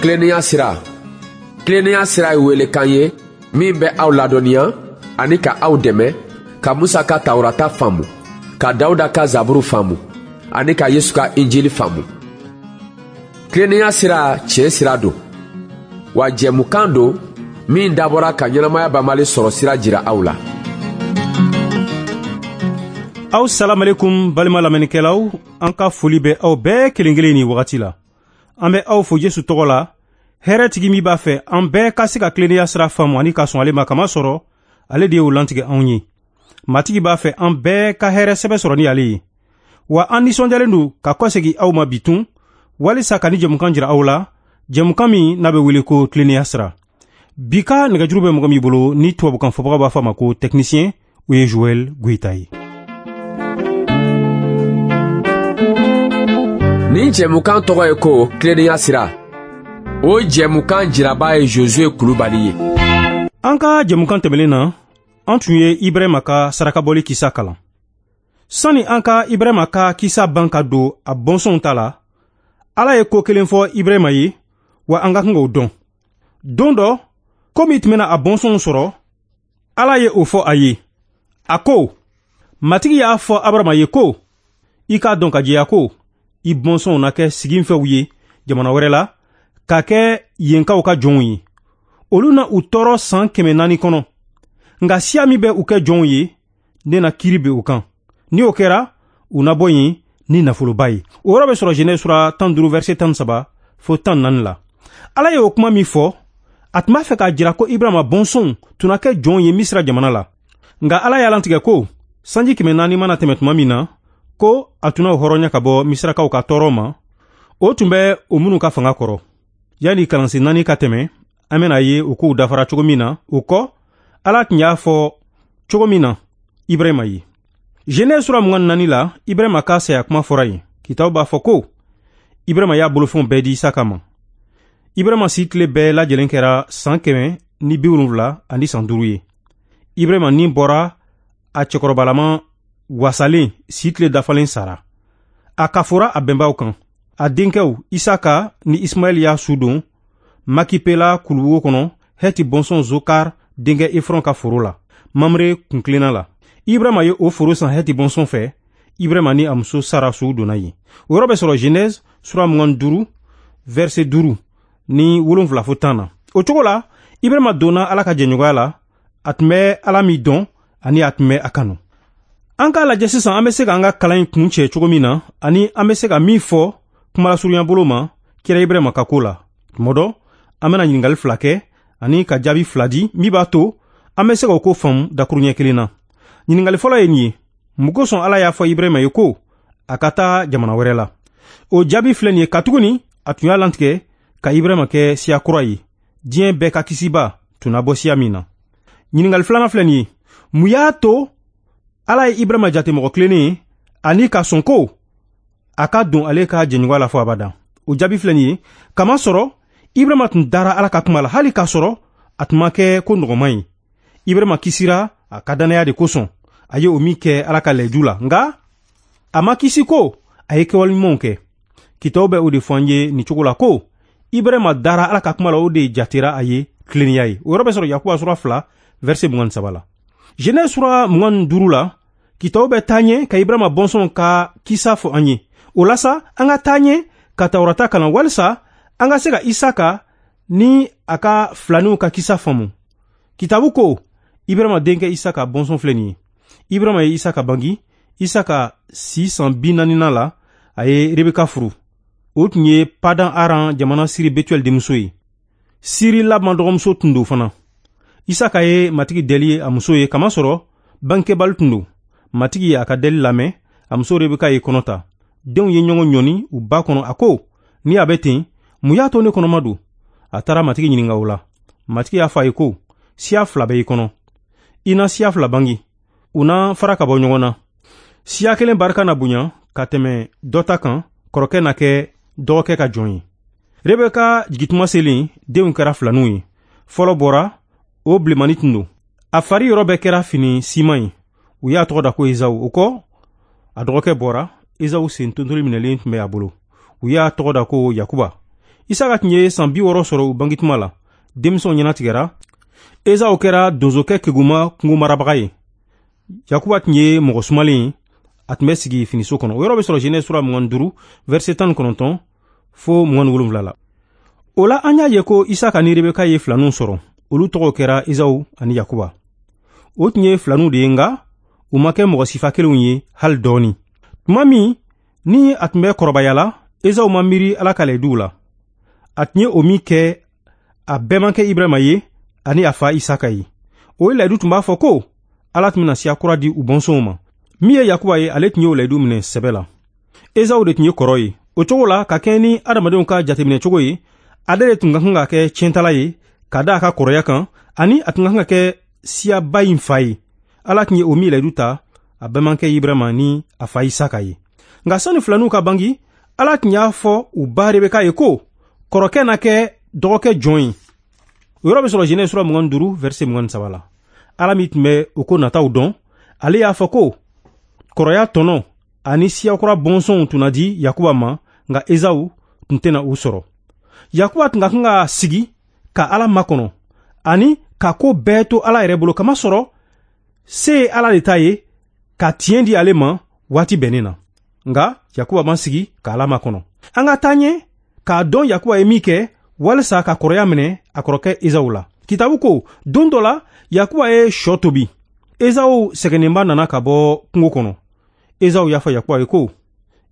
Tilennenya sira. Tilennenya sira ye welekan ye min bɛ aw ladɔnniya ani ka aw dɛmɛ ka Musa ka Tawurata faamu, ka Dawuda ka Zaburu faamu ani ka Yesu ka Injili faamu. Tilennenya sira tiɲɛ sira don, wa jɛmukan don min dabɔra ka ɲɛnamaya banbali sɔrɔ sira jira aw la. Aw salamalekum balima lamɛnnikɛlaw, an ka foli bɛ aw bɛɛ kelen kelen ni wagati la. An bɛ aw fo Yesu tɔgɔ la, hɛrɛtigi min b'a fɛ an bɛɛ ka se ka tilennenya sira faamu ani ka sɔn ale ma, kamasɔrɔ ale de y'o lantigɛ anw ye. Matigi b'a fɛ an bɛɛ ka hɛrɛ sɛbɛ sɔrɔ ni ale ye. Wa an nisɔndiyalen don ka kɔsegin aw ma bitun walisa ka ni jɛmukan jira aw la, jɛmukan min n'a bɛ wele ko tilennenya sira. Bi ka nɛgɛjuru bɛ mɔgɔ min bolo ni tubabukan fɔbaga b'a fɔ a ma ko technicien, o ye Joël Goïta ye. Nin jɛmukan tɔgɔ ye ko tilennenya sira. O jɛmukan jiraba ye Josué Kulubali ye. An ka jɛmukan tɛmɛnen na, an tun ye Ibrahima ka sarakabɔli kisa kalan. Sani an ka Ibrahima ka kisa ban ka don a bɔnsɔnw ta la, Ala ye ko kelen fɔ Ibrahima ye, wa an ka kan k'o dɔn. Don dɔ, ko min tun bɛna a bɔnsɔnw sɔrɔ, Ala ye o fɔ a ye. A ko, Matigi y'a fɔ Abarama ye ko, i k'a dɔn ka jɛya ko, i bɔnsɔnw na kɛ siginfɛw ye jamana wɛrɛ la, ka kɛ yenkaw ka jɔnw ye. Olu na u tɔɔrɔ san 400 kɔnɔ. Nka siya min bɛ u kɛ jɔnw ye, ne na kiiri bin u kan. Ni o kɛra, u na bɔ yen ni nafoloba ye. O yɔrɔ bɛ sɔrɔ Genèse sura 15 verset 13 fo 14 la. Ala ye o kuma min fɔ, a tun b'a fɛ k'a jira ko Ibrahima bɔnsɔnw tun na kɛ jɔnw ye Misira jamana la. Nka Ala y'a lantigɛ ko sanji 400 mana tɛmɛ tuma min na, ko a tun na o hɔrɔnya ka bɔ Misirakaw ka tɔɔrɔ ma, o tun bɛ o minnu ka fanga kɔrɔ. Yanni kalansen 4 ka tɛmɛ, an bɛna ye o kow dafara cogo min na. O kɔ, Ala tun y'a fɔ cogo min na Ibrahima ye. Genèse sura 24 la, Ibrahima ka saya kuma fɔra yen. Kitabu b'a fɔ ko Ibrahima y'a bolofɛnw bɛɛ di Isaka ma. Ibrahima si tile bɛɛ lajɛlen kɛra san 175 ani san 5 ye. Ibrahima ni bɔra a cɛkɔrɔbalama wasalen si tile dafalen sara. A kafora a bɛnbaw kan. A denkɛw Isaka ni Ismaɛl y'a su don Makipela kuluwo kɔnɔ, Hɛti bɔnsɔn Zokar denkɛ Efrɔn ka foro la, Mamre kuntilenna la. Ibrahima ye o foro san Hɛti bɔnsɔn fɛ. Ibrahima ni a muso Sara su donna yen. O yɔrɔ bɛ sɔrɔ Genèse sura 25 verset 5 ni 7 fo 10 na. O cogo la, Ibrahima donna Ala ka jɛɲɔgɔnya la, a tun bɛ Ala min dɔn ani a tun bɛ a kanu. An k'a lajɛ sisan an bɛ se k'an ka kalan in kun cɛ cogo min na, ani an bɛ se ka min fɔ kumalasurunya bolo ma kira Ibrahima ka ko la. Tuma dɔ, an bɛna ɲininkali 2 kɛ ani ka jaabi 2 di min b'a to an bɛ se k'o ko faamu dakuruɲɛ kelen na. Ɲininkali fɔlɔ ye nin ye: mun kosɔn Ala y'a fɔ Ibrahima ye ko a ka taa jamana wɛrɛ la? O jaabi filɛ nin ye: katuguni a tun y'a lantigɛ ka Ibrahima kɛ siya kura ye, diɲɛ bɛɛ ka kisiba tun na bɔ siya min na. Ɲininkali filanan filɛ nin ye: mun y'a to Ala ye Ibrahima jate mɔgɔ tilennen ye ani ka sɔn ko a ka don ale ka jɛɲɔgɔnya la fo abada? O jaabi filɛ nin ye: kamasɔrɔ Ibrahima tun dara Ala ka kuma la, hali k'a sɔrɔ a tun ma kɛ ko nɔgɔman ye. Ibrahima kisira a ka dannaya de kosɔn, a ye o min kɛ Ala ka layidu la. Nka a ma kisi ko a ye kɛwale ɲumanw kɛ. Kitabu bɛ o de fɔ an ye nin cogo la ko Ibrahima dara Ala ka kuma la, o de jatera a ye tilennenya ye. O yɔrɔ bɛ sɔrɔ Yakuba sura 2 verset 23 la. Genèse sura 25 la, kitabu bɛ taa ɲɛ ka Ibrahima bɔnsɔnw ka kisa fɔ an ye. O la sa, an ka taa ɲɛ ka Tawurata kalan walisa an ka se ka Isaka ni a ka filaninw ka kisa faamu. Kitabu ko Ibrahima denkɛ Isaka bɔnsɔn filɛ nin ye. Ibrahima ye Isaka bangi. Isaka si san 40nan la, a ye Rebeka furu. O tun ye Padan Aran jamana Siri Betuel denmuso ye. Siri Laban dɔgɔmuso tun don fana. Isaka ye Matigi deli a muso ye, kamasɔrɔ bangekɛbali tun don. Matigi ye a ka deli lamɛn, a muso Rebeka ye kɔnɔ ta. Denw ye ɲɔgɔn ɲɔni u ba kɔnɔ. A ko, ni a bɛ ten, mun y'a to ne kɔnɔma don? A taara Matigi ɲininka o la. Matigi y'a fɔ a ye ko, siya 2 bɛ i kɔnɔ. I na siya 2 bangi. U na fara ka bɔ ɲɔgɔn na. Siya kelen barika na bonya ka tɛmɛ dɔ ta kan, kɔrɔkɛ na kɛ dɔgɔkɛ ka jɔn ye. Rebeka jigintuma selen, denw kɛra filaninw ye. Fɔlɔ bɔra, o bilenmani tun don. A fari yɔrɔ bɛɛ kɛra fini siman ye. U y'a tɔgɔ da ko Ezawu. O kɔ, a dɔgɔkɛ bɔra, Ezawu sen tontoli minɛlen tun bɛ a bolo. U y'a tɔgɔ da ko Yakuba. Isaka tun ye san 60 sɔrɔ u bangituma la. Denmisɛnw ɲɛnatigɛra. Ezaw kɛra donsokɛ keguma kungo marabaga ye. Yakuba tun ye mɔgɔ sumalen ye, a tun bɛ sigi finiso kɔnɔ. O yɔrɔ bɛ sɔrɔ Genèse sura 25 verset 19 fo 27 la. O la an y'a ye ko Isaka ni Rebeka ye filaninw sɔrɔ. Olu tɔgɔw kɛra Ezaw ani Yakuba. O tun ye filaninw de ye, nka u ma kɛ mɔgɔ sifa kelenw ye hali dɔɔni. Tuma min ni a tun bɛ kɔrɔbaya la, Ezaw ma miiri Ala ka layiduw la. A tun ye o min kɛ, a bɛɛmankɛ Ibrahima ye ani a fa Isaka ye. O layidu tun b'a fɔ ko Ala tun bɛna siya kura di u bɔnsɔnw ma. Min ye Yakuba ye, ale tun y'o layidu minɛ sɛbɛ la. Ezaw de tun ye kɔrɔ ye. O cogo la, ka kɛɲɛ ni adamadenw ka jateminɛ cogo ye, ale de tun ka kan ka kɛ tiɲɛtala ye ka da a ka kɔrɔya kan, ani a tun ka kan ka kɛ siyaba in fa ye. Ala tun ye o min layidu ta a bɛɛmankɛ Ibrahima ni a fa Isaka ye. Nka sani filaninw ka bangi, Ala tun y'a fɔ u ba Rebeka ye ko kɔrɔkɛ na kɛ dɔgɔkɛ jɔn ye. O yɔrɔ bɛ sɔrɔ Genèse sura 25 verset 23 la. Ala min tun bɛ o ko nataw dɔn, ale y'a fɔ ko kɔrɔya tɔnɔ ani siyakura bɔnsɔnw tun na di Yakuba ma, nka Ezaw tun tɛna u sɔrɔ. Yakuba tun ka kan ka sigi ka Ala makɔnɔ ani ka ko bɛɛ to Ala yɛrɛ bolo, kamasɔrɔ se ye Ala de ta ye ka tiɲɛ di ale ma waati bɛnnen na. Nka Yakuba ma sigi ka Ala makɔnɔ. An ka taa ɲɛ k'a dɔn Yakuba ye min kɛ walisa ka kɔrɔya minɛ a kɔrɔkɛ Ezaw la. Kitabu ko don dɔ la, Yakuba ye shɔ tobi. Ezaw sɛgɛnnenba nana ka bɔ kungo kɔnɔ. Ezaw y'a fɔ Yakuba ye ko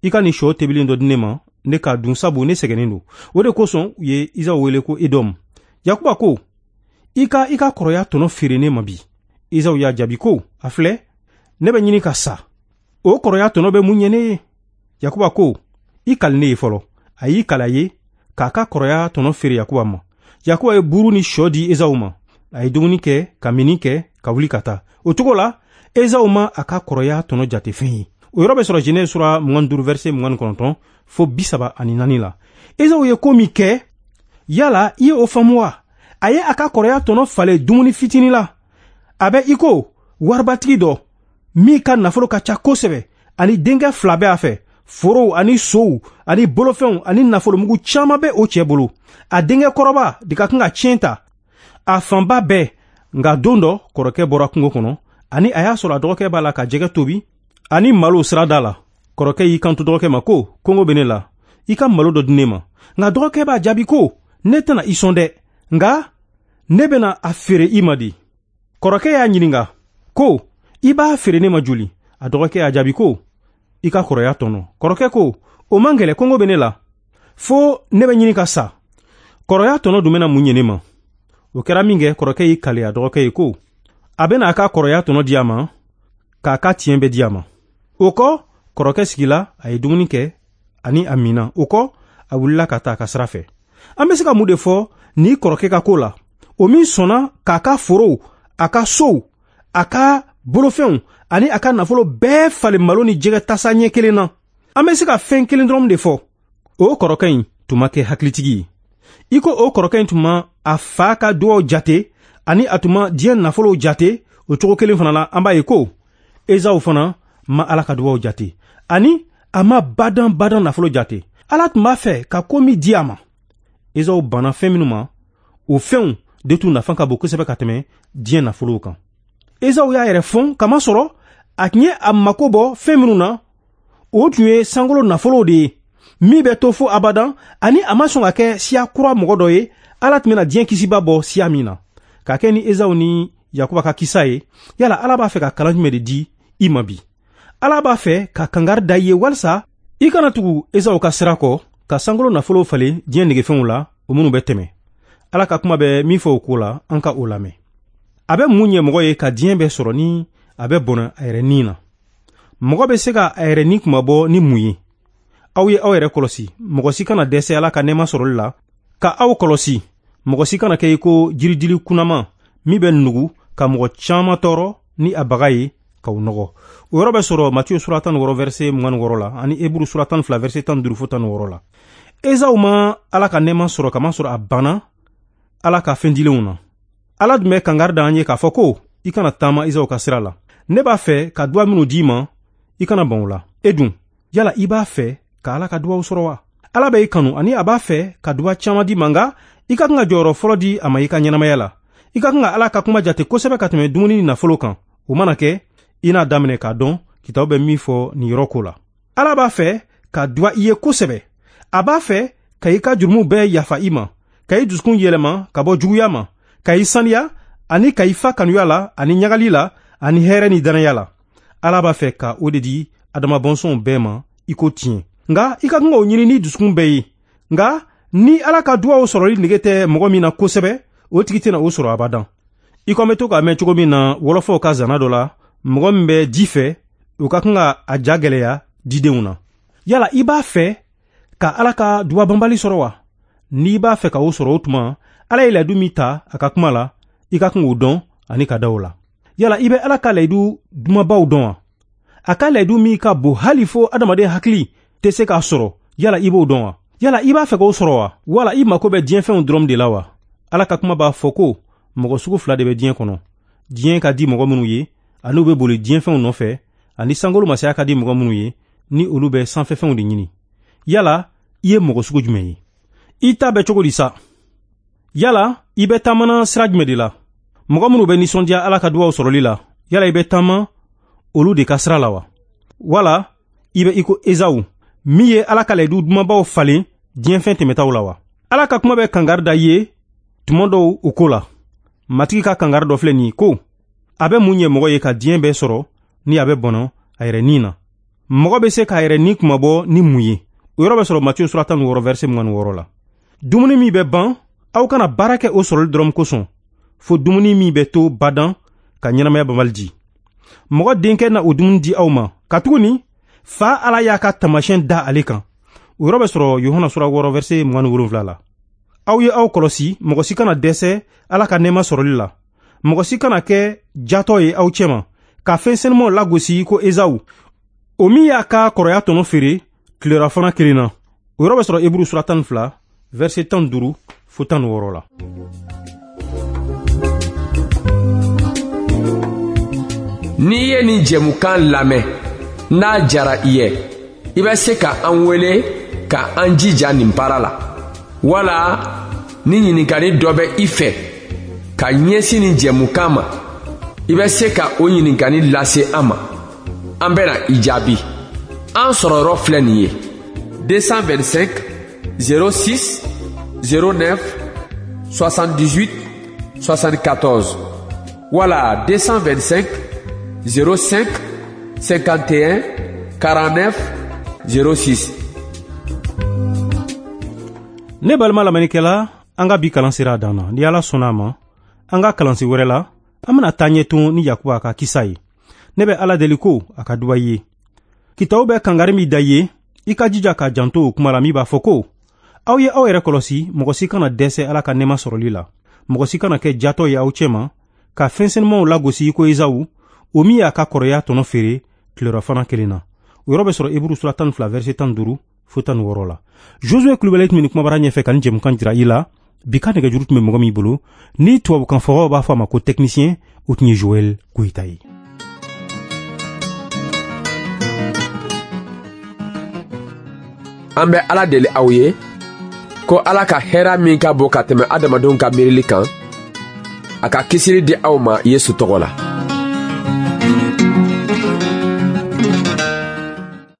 i ka nin shɔ tobilen dɔ di ne ma, ne k'a dun, sabu ne sɛgɛnnen don. O de kosɔn u ye Ezaw wele ko Edɔm. Yakuba ko i ka i ka kɔrɔya tɔnɔ feere ne ma bi. Ezaw y'a jaabi ko a filɛ, ne bɛ ɲini ka sa. O kɔrɔya tɔnɔ bɛ mun ɲɛ ne ye? Yakuba ko i kali ne ye fɔlɔ. A y'i kali a ye k'a ka kɔrɔya tɔnɔ feere Yakuba ma. Yakuba ye buru ni shɔ di Ezaw ma. A ye dumuni kɛ ka minni kɛ ka wuli ka taa. O cogo la, Ezaw ma a ka kɔrɔya tɔnɔ jate fɛn ye. O yɔrɔ bɛ sɔrɔ Genèse sura 25 verset 29 fo 34 la. Ezaw ye ko min kɛ, yala i ye o faamu wa? A ye a ka kɔrɔya tɔnɔ falen dumuni fitinin la. A bɛ i ko waribatigi dɔ min ka nafolo ka ca kosɛbɛ, ani denkɛ fila bɛ a fɛ. Forow ani sow ani bolofɛnw ani nafolomugu caman bɛ o cɛ bolo. A denkɛ kɔrɔba de ka kan ka tiɲɛ ta a fanba bɛɛ. Nka don dɔ kɔrɔkɛ bɔra kungo kɔnɔ, ani a y'a sɔrɔ a dɔgɔkɛ b'a la ka jɛgɛ tobi ani malo sirada la. Kɔrɔkɛ y'i kanto dɔgɔkɛ ma ko kɔngɔ bɛ ne la, i ka malo dɔ di ne ma. Nka dɔgɔkɛ b'a jaabi ko ne tɛna i sɔn dɛ, nka ne bɛna a feere i ma de. Kɔrɔkɛ y'a ɲininka ko i b'a feere ne ma joli? A dɔgɔkɛ y'a jaabi ko i ka kɔrɔya tɔnɔ. Kɔrɔkɛ ko o man gɛlɛ, kɔngɔ bɛ ne la, fo ne bɛ ɲini ka sa. Kɔrɔya tɔnɔ dun bɛna mun ɲɛ ne ma? O kɛra min kɛ, kɔrɔkɛ y'i kali a dɔgɔkɛ ye ko a bɛna a ka kɔrɔya tɔnɔ di a ma, k'a ka tiɲɛ bɛɛ di a ma. O kɔ, kɔrɔkɛ sigila, a ye dumuni kɛ ani a minna. O kɔ, a wulila ka taa a ka sira fɛ. An bɛ se ka mun de fɔ ni kɔrɔkɛ ka ko la? O min sɔnna k'a ka forow, a ka sow, a ka bolofɛnw ani a ka nafolo bɛɛ falen malo ni jɛgɛ tasa ɲɛ kelen na. An bɛ se ka fɛn kelen dɔrɔn de fɔ. O kɔrɔkɛ in tun ma kɛ hakilitigi ye. I ko o kɔrɔkɛ in tun ma a fa ka duwaw jate ani a tun ma diɲɛ nafolow jate, o cogo kelen fana la, an b'a ye ko Ezaw fana ma Ala ka duwaw jate ani a ma badan badan nafolo jate. Ala tun b'a fɛ ka ko min di a ma, Ezaw banna fɛn minnu ma, o fɛnw de tun nafa ka bon kosɛbɛ ka tɛmɛ diɲɛ nafolow kan. Ezaw y'a yɛrɛ fɔn kamasɔrɔ a tun ye a mako bɔ fɛn minnu na, o tun ye sankolo nafolow de ye min bɛ to fo abadan, ani a ma sɔn ka kɛ siya kura mɔgɔ dɔ ye Ala tun bɛna diɲɛ kisiba bɔ siya min na. Ka kɛ ni Ezaw ni Yakuba ka kisa ye, yala Ala b'a fɛ ka kalan jumɛn de di i ma bi? Ala b'a fɛ ka kangari da i ye walisa i kana tugu Ezaw ka sira kɔ ka sankolo nafolow falen diɲɛ negefɛnw la, o minnu bɛ tɛmɛ. Ala ka kuma bɛ min fɔ o ko la, an ka o lamɛn. A bɛ mun ɲɛ mɔgɔ ye ka diɲɛ bɛɛ sɔrɔ ni a bɛ bɔnɛ a yɛrɛ ni na? Mɔgɔ bɛ se ka a yɛrɛ ni kunmabɔ ni mun ye? Aw ye aw yɛrɛ kɔlɔsi, mɔgɔ si kana dɛsɛ Ala ka nɛɛma sɔrɔli la. Ka aw kɔlɔsi, mɔgɔ si kana kɛ i ko jiridili kunnama min bɛ nugu ka mɔgɔ caman tɔɔrɔ ni a baga ye k'aw nɔgɔ. O yɔrɔ bɛ sɔrɔ Matiyu sura 16 verset 26 la ani Eburu sura 12 verset 15 fo 16 la. Ezaw ma Ala ka nɛɛma sɔrɔ kamasɔrɔ a banna Ala ka fɛn dilenw na. Ala dun bɛ kangari da an ye k'a fɔ ko i kana taama Ezaw ka sira la. Ne b'a fɛ ka duwa minnu d'i ma, i kana ban o la. E dun, yala i b'a fɛ ka Ala ka duwaw sɔrɔ wa? Ala bɛ i kanu ani a b'a fɛ ka duba caman di ma, nka i ka kan ka jɔyɔrɔ fɔlɔ di a ma i ka ɲɛnamaya la. I ka kan ka Ala ka kuma jate kosɛbɛ ka tɛmɛ dumuni ni nafolo kan. O mana kɛ, i n'a daminɛ k'a dɔn kitabu bɛ min fɔ nin yɔrɔ ko la. Ala b'a fɛ ka duba i ye kosɛbɛ. A b'a fɛ ka i ka jurumu bɛɛ yafa i ma, ka i dusukun yɛlɛma ka bɔ juguya ma, ka i saniya ani ka i fa kanuya la ani ɲagali la ani hɛrɛ ni dannaya la. Ala b'a fɛ ka o de di Adama bɔnsɔnw bɛɛ ma i ko tiɲɛ. Nka i ka kan k'o ɲini ni dusukun bɛɛ ye. Nka ni Ala ka duwaw sɔrɔli nege tɛ mɔgɔ min na kosɛbɛ, o tigi tɛna o sɔrɔ abadan. I ko an bɛ to k'a mɛn cogo min na wɔlɔfɔw ka zana dɔ la, mɔgɔ min bɛ ji fɛ, o ka kan ka a ja gɛlɛya didenw na. Yala i b'a fɛ ka Ala ka duba banbali sɔrɔ wa? N'i b'a fɛ ka o sɔrɔ, o tuma Ala ye layidu min ta a ka kuma la, i ka kan k'o dɔn ani ka da o la. Yala i bɛ Ala ka layidu dumabaw dɔn wa? A ka layidu min ka bon hali fo adamaden hakili tɛ se k'a sɔrɔ, yala i b'o dɔn wa? Yala i b'a fɛ k'o sɔrɔ wa? Wala i mako bɛ diɲɛfɛnw dɔrɔn de la wa? Ala ka kuma b'a fɔ ko mɔgɔ sugu fila de bɛ diɲɛ kɔnɔ. Diɲɛ ka di mɔgɔ minnu ye, ani u bɛ boli diɲɛfɛnw nɔfɛ, ani sankolo masaya ka di mɔgɔ minnu ye, ni olu bɛ sanfɛfɛnw de ɲini. Yala i ye mɔgɔ sugu jumɛn ye? I ta bɛ cogo di sa? Yala i bɛ taamana sira jumɛn de la? Mɔgɔ minnu bɛ nisɔndiya Ala ka duwaw sɔrɔli la, yala i bɛ taama olu de ka sira la wa? Wala i bɛ i ko Ezawu min ye Ala ka layidu dumanbaw falen diɲɛfɛn tɛmɛtaw la wa? Ala ka kuma bɛ kangari da i ye tuma dɔw o ko la. Matigi ka kangari dɔ filɛ nin ye ko a bɛ mun ɲɛ mɔgɔ ye ka diɲɛ bɛɛ sɔrɔ ni a bɛ bɔnɔ a yɛrɛ ni na? Mɔgɔ bɛ se k'a yɛrɛ ni kunmabɔ ni mun ye? O yɔrɔ bɛ sɔrɔ Matiyu sura 16 verset 26 la. Dumuni min bɛ ban, aw kana baara kɛ o sɔrɔli dɔrɔn kosɔn, fo dumuni min bɛ to badan ka ɲɛnamaya banbali di. Mɔgɔ denkɛ na o dumuni di aw ma, katuguni fa Ala y'a ka taamasiyɛn da ale kan. O yɔrɔ bɛ sɔrɔ Yohana sura 6 verset 27 la. Aw ye aw kɔlɔsi, mɔgɔ si kana dɛsɛ Ala ka nɛɛma sɔrɔli la. Mɔgɔ si kana kɛ jatɔ ye aw cɛma, ka fɛn senumanw lagosi ko Ezawu, o min y'a ka kɔrɔya tɔnɔ feere tilelafana kelen na. O yɔrɔ bɛ sɔrɔ Eburu sura 12 verset 15 fo 16 la. N'i ye nin jɛmukan lamɛn, n'a jara i ye, i bɛ se ka an wele ka an jija nin baara la. Wala ni ɲininkali dɔ bɛ i fɛ ka ɲɛsin nin jɛmukan ma, i bɛ se ka o ɲininkali lase an ma. An bɛna i jaabi. An sɔrɔyɔrɔ filɛ nin ye: 225 06 09 78 74 wala 225 05 51 49 06. Ne balima lamɛnnikɛla, an ka bi kalan sera a dan na. Ni Ala sɔnna a ma, an ka kalansen wɛrɛ la, an bɛna taa ɲɛ tun ni Yakuba ka kisa ye. Ne bɛ Ala deli ko a ka duba i ye. Kitabu bɛ kangari min da i ye, i ka jija k'a janto o kuma la min b'a fɔ ko aw ye aw yɛrɛ kɔlɔsi, mɔgɔ si kana dɛsɛ Ala ka nɛɛma sɔrɔli la. Mɔgɔ si kana kɛ jatɔ ye aw cɛma, ka fɛn senumanw lagosi i ko Ezawu, o min y'a ka kɔrɔya tɔnɔ feere tilelafana kelen na. O yɔrɔ bɛ sɔrɔ Eburu sura 12 verset 15 fo 16 la. Josue Kulubali tun bɛ nin kumabara ɲɛfɛ ka nin jɛmukan jira i la. Bi ka nɛgɛjuru tun bɛ mɔgɔ min bolo, ni tubabukan fɔbaw b'a fɔ a ma ko technicien, o tun ye Joël Goyita ye. An bɛ Ala deli aw ye ko Ala ka hɛrɛ min ka bon ka tɛmɛ adamadenw ka miirili kan, a ka kisili di aw ma Yesu tɔgɔ la.